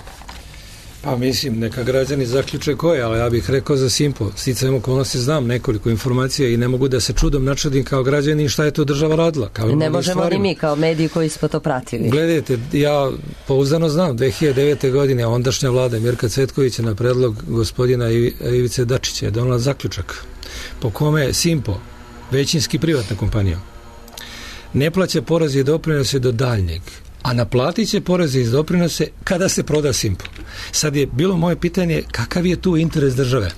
Pa mislim, neka građani zaključe ko je, ali ja bih rekao za Simpo. Sticajem okolnosti znam nekoliko informacija i ne mogu da se čudom načudim kao građani šta je to država radila. Ne možemo ni mi kao mediji koji smo to pratili. Gledajte, ja pouzdano znam, 2009. godine ondašnja vlada Mirka Cvetkovića na predlog gospodina Ivice Dačića je donela zaključak po kome Simpo, većinski privatna kompanija, ne plaća poreze i doprinose do daljnjeg, a naplatit će poreze i doprinose kada se proda Simpo. Sad je bilo moje pitanje kakav je tu interes države.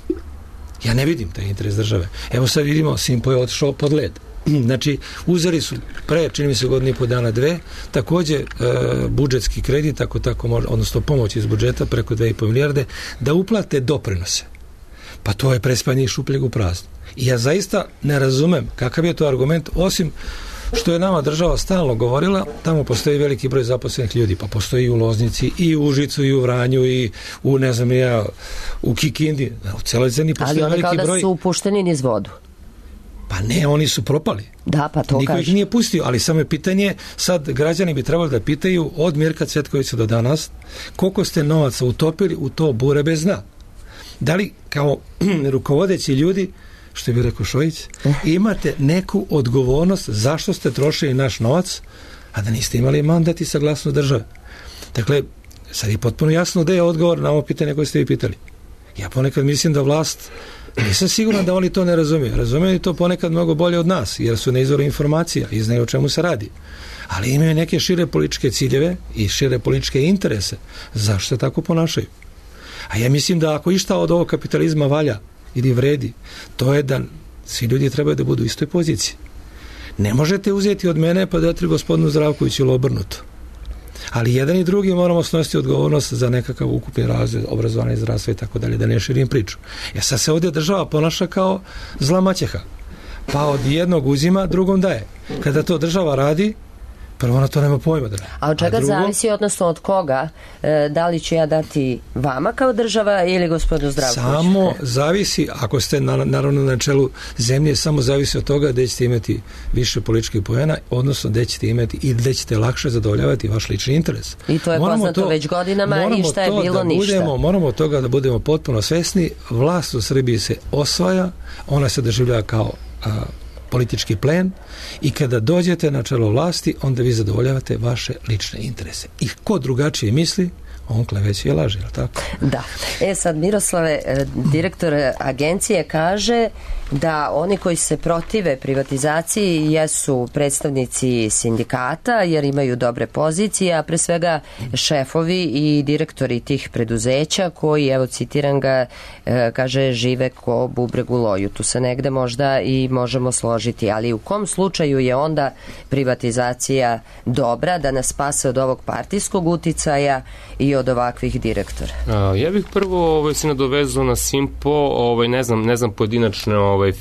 Ja ne vidim taj interes države. Evo sad vidimo, Simpo je otišao pod led. Znači, uzeli su pre, čini mi se godinu i po dana, 2, takođe budžetski kredit, odnosno pomoć iz budžeta preko 2,5 milijarde, da uplate doprinose. Pa to je prespanje iz šupljeg u prazno. I ja zaista ne razumem kakav je to argument, osim što je nama država stalno govorila, tamo postoji veliki broj zaposlenih ljudi, pa postoji i u Loznici, i u Užicu, i u Vranju, i u, ne znam ja, u Kikindi, u celoj zemlji postoji veliki broj. Ali oni kao da su upušteni niz vodu. Pa ne, oni su propali. Da, pa to niko kaže. Ih nije pustio, ali samo je pitanje, sad građani bi trebali da pitaju od Mirka Cvetkovića do danas, koliko ste novaca utopili u to bure bez dna. Da li kao rukovodeći ljudi, što bi rekao Šojić, imate neku odgovornost zašto ste trošili naš novac, a da niste imali mandat i saglasnost države. Dakle, sad je potpuno jasno da je odgovor na ovo pitanje koje ste vi pitali. Ja ponekad mislim da vlast, nisam siguran da oni to ne razumiju. Razumiju to ponekad mnogo bolje od nas, jer su na izvoru informacija i znaju o čemu se radi. Ali imaju neke šire političke ciljeve i šire političke interese. Zašto se tako ponašaju? A ja mislim da ako išta od ovog kapitalizma valja ili vredi, to je da svi ljudi trebaju da budu u istoj poziciji. Ne možete uzeti od mene pa dati gospodinu Zdravkoviću ili obrnuto. Ali jedan i drugi moramo snositi odgovornost za nekakav ukupni razvoj, obrazovanje, zdravstvo i tako dalje, da ne širim priču. Ja sad se ovdje država ponaša kao zla maćeha. Pa od jednog uzima, drugom daje. Kada to država radi, prvo ona to nema pojma. A od čega zavisi, odnosno od koga, da li ću ja dati vama kao država ili gospodinu Zdravkoviću? Samo zavisi, ako ste naravno na čelu zemlje, samo zavisi od toga gde ćete imati više političkih poena, odnosno gde ćete imati i gde ćete lakše zadovoljavati vaš lični interes. I to je poznato već godinama i šta je bilo ništa. Moramo od toga da budemo potpuno svesni. Vlast u Srbiji se osvaja, ona se doživljava kao politički plen i kada dođete na čelo vlasti, onda vi zadovoljavate vaše lične interese. I ko drugačije misli, on kleveće i laže, je li tako? Da. Sad Miroslave, direktor agencije kaže da oni koji se protive privatizaciji jesu predstavnici sindikata jer imaju dobre pozicije, a pre svega šefovi i direktori tih preduzeća koji, evo citiram ga, kaže žive ko bubreg u loju. Tu se negde možda i možemo složiti, ali u kom slučaju je onda privatizacija dobra da nas spase od ovog partijskog uticaja i od ovakvih direktora? Ja bih prvo se nadovezao na Simpo, ne znam pojedinačne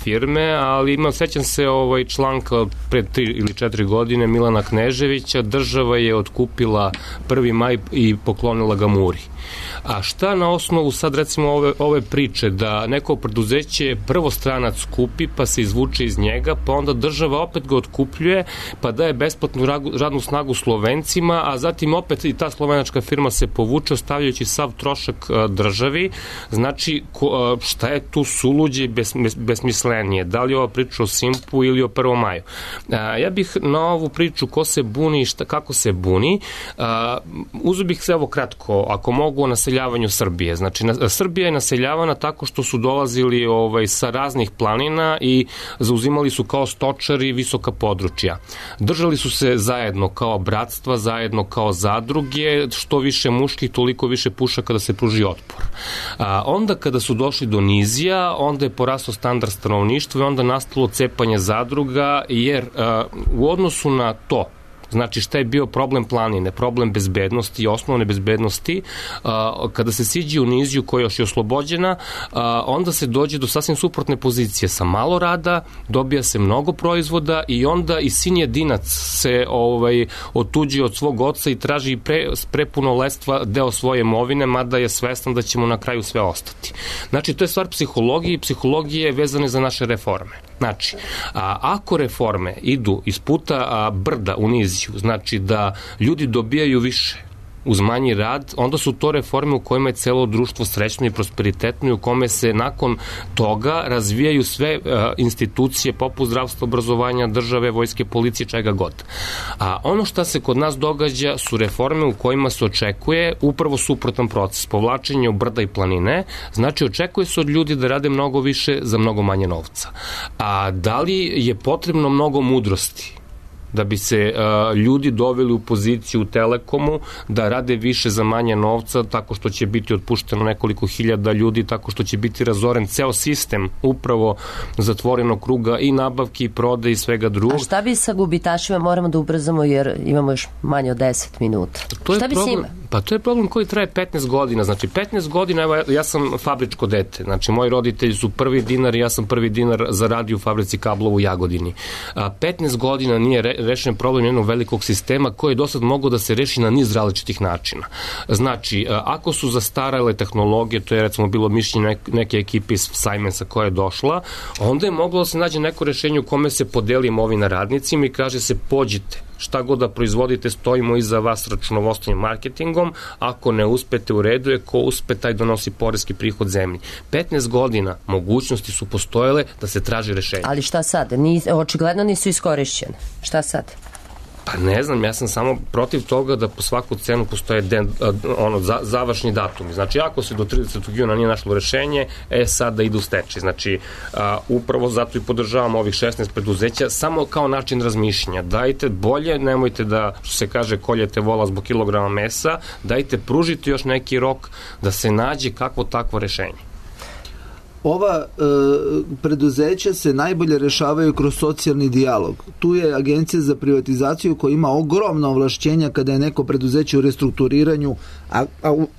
firme, ali sećam se članka pred 3 ili 4 godine Milana Kneževića, država je otkupila 1. maj i poklonila ga Muri. A šta na osnovu sad recimo ove priče da neko preduzeće prvo stranac kupi pa se izvuče iz njega, pa onda država opet ga otkupljuje pa daje besplatnu radnu snagu Slovencima, a zatim opet i ta slovenačka firma se povuče ostavljajući sav trošak državi. Znači šta je tu suluđe i besmislenije? Da li je ova priča o Simpu ili o 1. maju? Ja bih na ovu priču ko se buni i kako se buni uzeo bih se kratko, ako mogu, o naseljavanju Srbije. Znači, Srbija je naseljavana tako što su dolazili sa raznih planina i zauzimali su kao stočari visoka područja. Držali su se zajedno kao bratstva, zajedno kao zadruge, što više muških, toliko više pušaka da se pruži otpor. Onda kada su došli do nizija, onda je porastao standard stanovništva i onda nastalo cepanje zadruga, jer u odnosu na to, znači šta je bio problem planine, problem bezbednosti i osnovne bezbednosti, kada se siđe u niziju koja još je oslobođena, onda se dođe do sasvim suprotne pozicije. Sa malo rada dobija se mnogo proizvoda i onda i sin jedinac se otuđi od svog oca i traži prepuno lestva deo svoje imovine, mada je svestan da će mu na kraju sve ostati. Znači, to je stvar psihologije i psihologije vezane za naše reforme. Znači, ako reforme idu iz puta brda u niziju, znači da ljudi dobijaju više uz manji rad, onda su to reforme u kojima je celo društvo srećno i prosperitetno i u kome se nakon toga razvijaju sve institucije poput zdravstva, obrazovanja, države, vojske, policije, čega god. A ono što se kod nas događa su reforme u kojima se očekuje upravo suprotan proces, povlačenje u brda i planine, znači očekuje se od ljudi da rade mnogo više za mnogo manje novca. A da li je potrebno mnogo mudrosti da bi se ljudi doveli u poziciju u Telekomu da rade više za manje novca, tako što će biti otpušteno nekoliko hiljada ljudi, tako što će biti razoren ceo sistem upravo zatvorenog kruga i nabavki i prode i svega drugog. A šta bi sa gubitašima? Moramo da ubrzamo jer imamo još manje od 10 minuta. Šta bi s njima? Pa to je problem koji traje 15 godina. Znači, 15 godina, evo, ja sam fabričko dete. Znači, moji roditelji su prvi dinar i ja sam prvi dinar zaradio u fabrici kablova u Jagodini. 15 godina nije rešen problem jednog velikog sistema koji je do sad mogao da se reši na niz različitih načina. Znači, ako su zastarale tehnologije, to je recimo bilo mišljenje neke ekipe iz Siemensa koja je došla, onda je moglo da se nađe neko rešenje u kome se podeli imovina radnicima i kaže se pođite, šta god da proizvodite, stojimo iza vas računovodstvenim marketingom, ako ne uspete u redu je, ko uspe taj donosi poreski prihod zemlji. 15 godina mogućnosti su postojale da se traži rešenje. Ali šta sad? Očigledno nisu iskorišćene. Šta sad? Pa ne znam, ja sam samo protiv toga da po svaku cenu postoje završni datumi. Znači, ako se do 30. juna nije našlo rešenje, sad da ide u stečaj. Znači, upravo zato i podržavamo ovih 16 preduzeća, samo kao način razmišljanja. Dajte bolje, nemojte da, što se kaže, koljete vola zbog kilograma mesa, dajte, pružite još neki rok da se nađe kakvo takvo rešenje. Ova preduzeća se najbolje rešavaju kroz socijalni dijalog. Tu je Agencija za privatizaciju koja ima ogromna ovlašćenja kada je neko preduzeće u restrukturiranju, a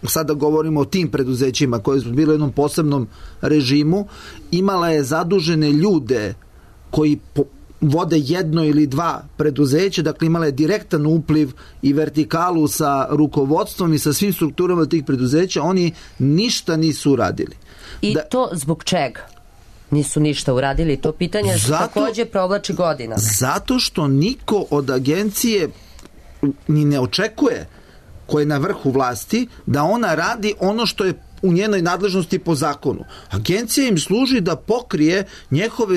sada govorimo o tim preduzećima koje su bile u jednom posebnom režimu, imala je zadužene ljude koji vode jedno ili dva preduzeća, dakle imala je direktan upliv i vertikalu sa rukovodstvom i sa svim strukturama tih preduzeća, oni ništa nisu uradili. I to zbog čega? Nisu ništa uradili. To pitanje takođe provlači godina. Zato što niko od agencije ni ne očekuje, ko je na vrhu vlasti, da ona radi ono što je u njenoj nadležnosti po zakonu. Agencija im služi da pokrije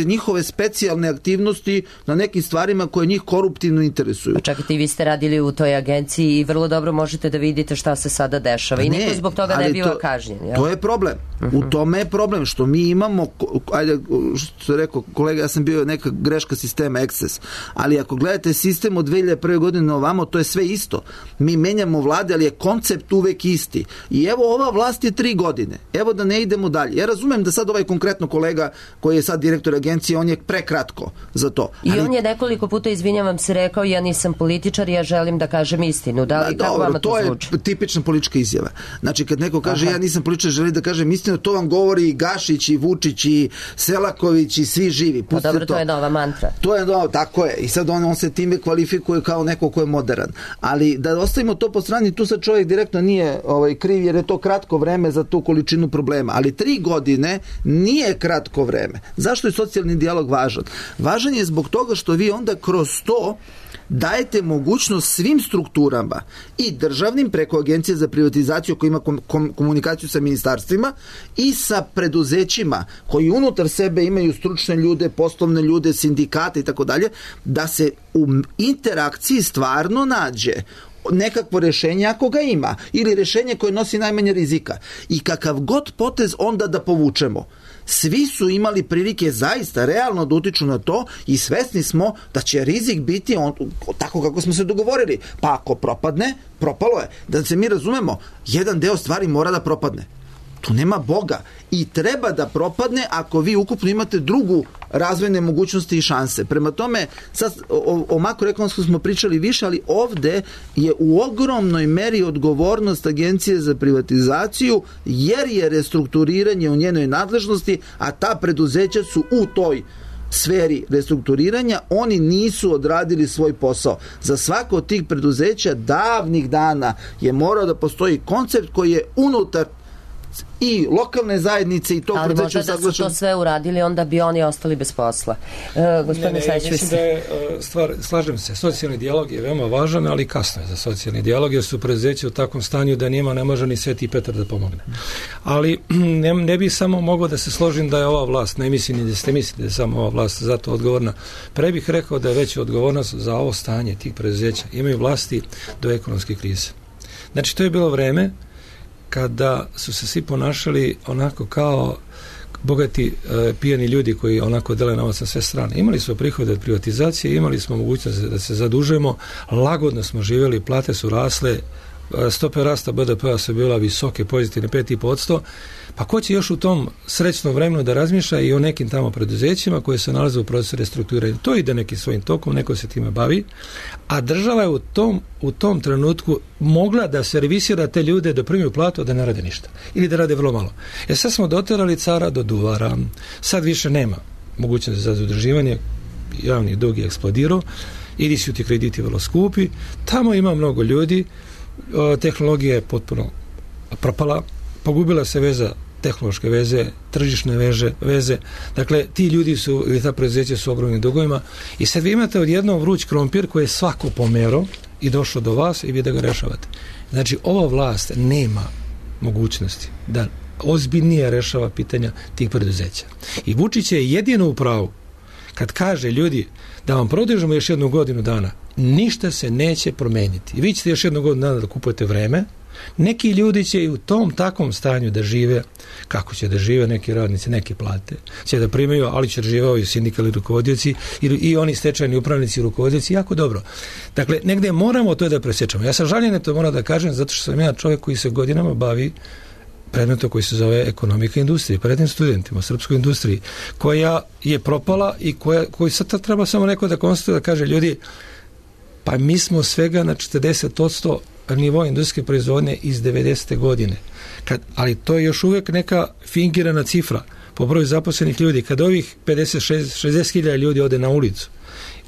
njihove specijalne aktivnosti na nekim stvarima koje njih koruptivno interesuju. Pa čekajte, i vi ste radili u toj agenciji i vrlo dobro možete da vidite šta se sada dešava. I niko zbog toga ne biva kažnjen. To je problem. U tome je problem što mi imamo, ajde, što je rekao kolega, ja sam bio neka greška sistema Access, ali ako gledate sistem od 2001. godine ovamo, to je sve isto. Mi menjamo vlade, ali je koncept uvek isti. I evo, ova vlast je 3 godine. Evo da ne idemo dalje. Ja razumem da sad ovaj konkretno kolega koji je sad direktor agencije, on je prekratko za to. I on je nekoliko puta, izvinjavam se, rekao ja nisam političar, ja želim da kažem istinu. Da li, kako vama to zvuči? To je tipična politička izjava. Znači kad neko kaže ja nisam političar, želim da kažem istinu, to vam govori i Gašić i Vučić i Selaković i svi živi. Pa dobro, to je nova mantra. To je novo, tako je. I sad on se time kvalifikuje kao neko ko je modern. Ali da ostavimo to po strani, tu sad čovjek direktno nije kriv jer je to kratko vreme za tu količinu problema, ali 3 godine nije kratko vreme. Zašto je socijalni dijalog važan? Važan je zbog toga što vi onda kroz to dajete mogućnost svim strukturama i državnim preko Agencije za privatizaciju koja ima komunikaciju sa ministarstvima i sa preduzećima koji unutar sebe imaju stručne ljude, poslovne ljude, sindikate i tako dalje, da se u interakciji stvarno nađe nekakvo rešenje ako ga ima ili rešenje koje nosi najmanje rizika i kakav god potez onda da povučemo. Svi su imali prilike zaista realno da utiču na to i svesni smo da će rizik biti tako kako smo se dogovorili. Pa ako propadne, propalo je. Da se mi razumemo, jedan deo stvari mora da propadne. Tu nema Boga i treba da propadne ako vi ukupno imate drugu razvojne mogućnosti i šanse. Prema tome, sad o makroekonomskom smo pričali više, ali ovde je u ogromnoj meri odgovornost Agencije za privatizaciju jer je restrukturiranje u njenoj nadležnosti, a ta preduzeća su u toj sferi restrukturiranja, oni nisu odradili svoj posao. Za svako od tih preduzeća davnih dana je morao da postoji koncept koji je unutar i lokalne zajednice i to ali možda da su to sve uradili, onda bi oni ostali bez posla. Gospodine Sajćević. Mislim da je slažem se, socijalni dijalog je veoma važan, ali kasno je za socijalni dijalog, jer su preduzeća u takvom stanju da njima ne može ni Sveti Petar da pomogne. Ali ne bi samo mogao da se složim da je ova vlast, ne mislim ni da ste mislili da je samo ova vlast za to odgovorna. Pre bih rekao da je veća odgovornost za ovo stanje tih preduzeća imaju vlasti do ekonomske krize. Znači, to je bilo vreme kada su se svi ponašali onako kao bogati pijani ljudi koji onako dele novac na sve strane. Imali smo prihode od privatizacije, imali smo mogućnost da se zadužujemo, lagodno smo živjeli, plate su rasle stope rasta BDP-a su bila visoke, pozitivne 5,5%, pa ko će još u tom srećnom vremenu da razmišlja i o nekim tamo preduzećima koje se nalaze u procesu restrukturiranja. To ide nekim svojim tokom, neko se time bavi, a država je u tom trenutku mogla da servisira te ljude da primiju platu, da ne rade ništa ili da rade vrlo malo. Sad smo doterali cara do duvara, sad više nema mogućnosti za zadrživanje, javni dug je eksplodirao, ili su ti krediti vrlo skupi, tamo ima mnogo ljudi, tehnologija je potpuno propala, pogubila se veza, tehnološke veze, tržišne veze, dakle ti ljudi su, ili ta preduzeća su ogromnim dugovima i sad vi imate odjednom vruć krompir koji je svako pomerao i došao do vas i vi da ga rešavate. Znači ova vlast nema mogućnosti da ozbiljnije rešava pitanja tih preduzeća. I Vučić je jedino u pravu kad kaže ljudi da vam produžimo još 1 godinu dana, ništa se neće promeniti. I vi ćete još 1 godinu dana da kupujete vreme, neki ljudi će i u tom takvom stanju da žive, kako će da žive neki radnici, neki plate, će da primaju, ali će da živao i sindikalni rukovodioci i oni stečajni upravnici i rukovodioci, jako dobro. Dakle, negde moramo to da presječamo. Ja sam žaljen, to moram da kažem, zato što sam ja čovjek koji se godinama bavi predmetom koji se zove ekonomika industrije, prednim studentima u srpskoj industriji, koja je propala i koji sad treba samo neko da konstatuje da kaže ljudi, pa mi smo svega na 40% nivoa industrijske proizvodnje iz 90. godine. Ali to je još uvijek neka fingirana cifra po broju zaposlenih ljudi. Kad ovih 60.000 ljudi ode na ulicu,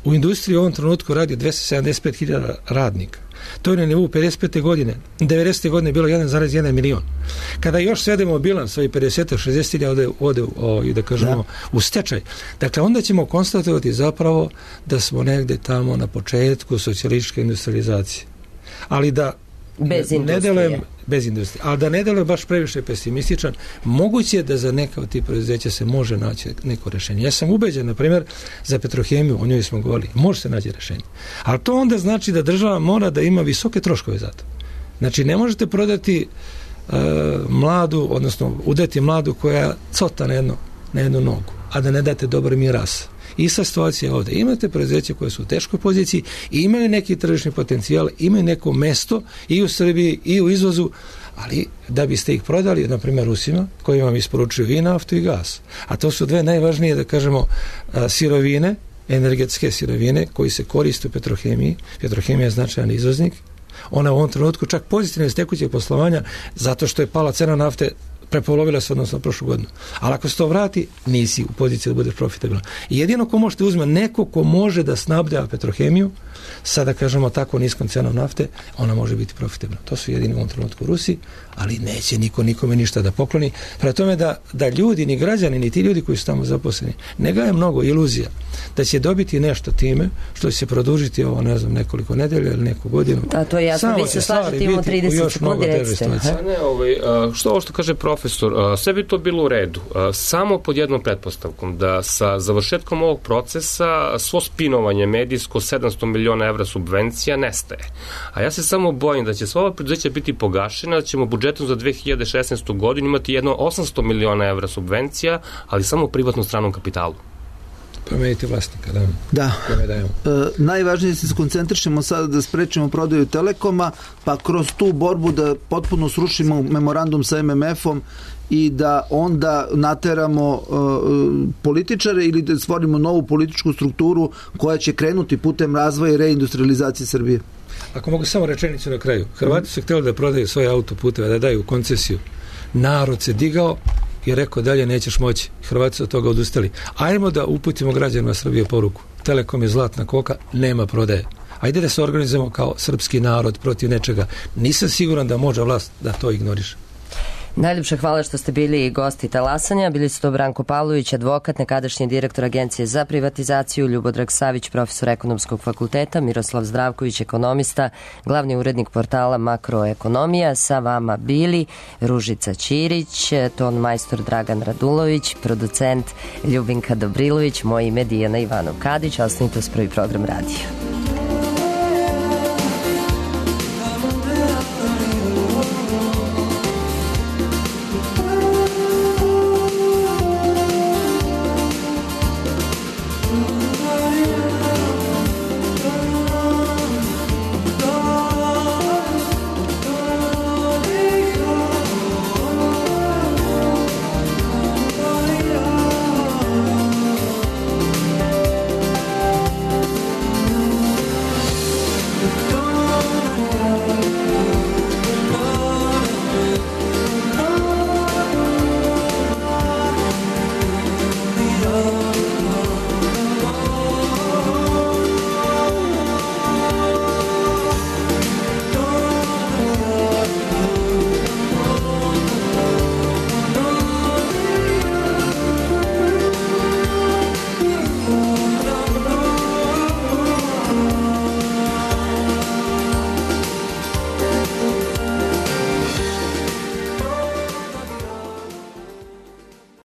u industriji u ovom trenutku radi 275.000 radnika. To je na nivou 55. godine. 90. godine je bilo 1,1 milion. Kada još svedemo bilans, ovih 50-60.000 ode da kažemo, u stečaj. Dakle, onda ćemo konstatovati zapravo da smo negde tamo na početku socijalističke industrializacije. Ali da bez industrije. Ali da ne delujem baš previše pesimističan, moguće je da za neka od tih preduzeća se može naći neko rešenje. Ja sam ubeđen, na primjer, za Petrohemiju, o njoj smo govorili, može se naći rešenje. Ali to onda znači da država mora da ima visoke troškove za to. Znači, ne možete prodati mladu, odnosno udati mladu koja cota na jednu nogu, a da ne date dobar miras. Ista situacija ovdje. Imate preduzeće koje su u teškoj poziciji i imaju neki tržišni potencijal, imaju neko mesto i u Srbiji i u izvozu, ali da biste ih prodali, na primjer Rusima, koji vam isporučuju i naftu i gas. A to su dve najvažnije, da kažemo, sirovine, energetske sirovine koji se koriste u petrohemiji. Petrohemija je značajan izvoznik. Ona u ovom trenutku čak pozitivno iz tekućeg poslovanja zato što je pala cena nafte, prepolovila se odnosno prošlu godinu. Ali ako se to vrati, nisi u poziciji da budeš profitabilan. I jedino ko možete uzme neko ko može da snabdeva Petrohemiju, sada kažemo tako niskom cenom nafte, ona može biti profitabilna. To su jedini u ovom trenutku Rusi, ali neće niko nikome ništa da pokloni. Prema tome da ljudi, ni građani, ni ti ljudi koji su tamo zaposleni, ne gaje mnogo iluzija da će dobiti nešto time što će se produžiti ovo, ne znam, nekoliko nedelja ili neku godinu. A to je jasno, vi se slažete imamo 30 sekundi, recite. Što ovo što kaže profesor, sve bi to bilo u redu. Samo pod jednom pretpostavkom, da sa završetkom ovog procesa svo spinovanje medijsko 700 miliona evra subvencija nestaje. A ja se samo bojim da će sva ova preduzeća biti pogašena, da ćemo budžetom za 2016. godinu imati jedno 800 miliona evra subvencija, ali samo u privatnom stranom kapitalu. Promenite vlasnika, da. Najvažnije je da se koncentrišemo sada da sprečimo prodaju Telekoma, pa kroz tu borbu da potpuno srušimo memorandum sa MMF-om i da onda nateramo političare ili da stvorimo novu političku strukturu koja će krenuti putem razvoja i reindustrializacije Srbije. Ako mogu samo rečenicu na kraju. Hrvati su htjeli da prodaju svoje autoputeve, da daju koncesiju. Narod se digao i rekao dalje nećeš moći. Hrvati su od toga odustali. Ajmo da uputimo građanima Srbije poruku. Telekom je zlatna koka, nema prodaje. Ajde da se organizujemo kao srpski narod protiv nečega. Nisam siguran da može vlast da to ignoriše. Najljepše hvala što ste bili gosti talasanja. Bili su to Branko Pavlović, advokat, nekadašnji direktor Agencije za privatizaciju, Ljubodrag Savić, profesor ekonomskog fakulteta, Miroslav Zdravković, ekonomista, glavni urednik portala Makroekonomija. Sa vama bili Ružica Ćirić, ton majstor Dragan Radulović, producent Ljubinka Dobrilović, moje ime Dijana Ivanov Kadić. Ostanite uz Prvi program radija.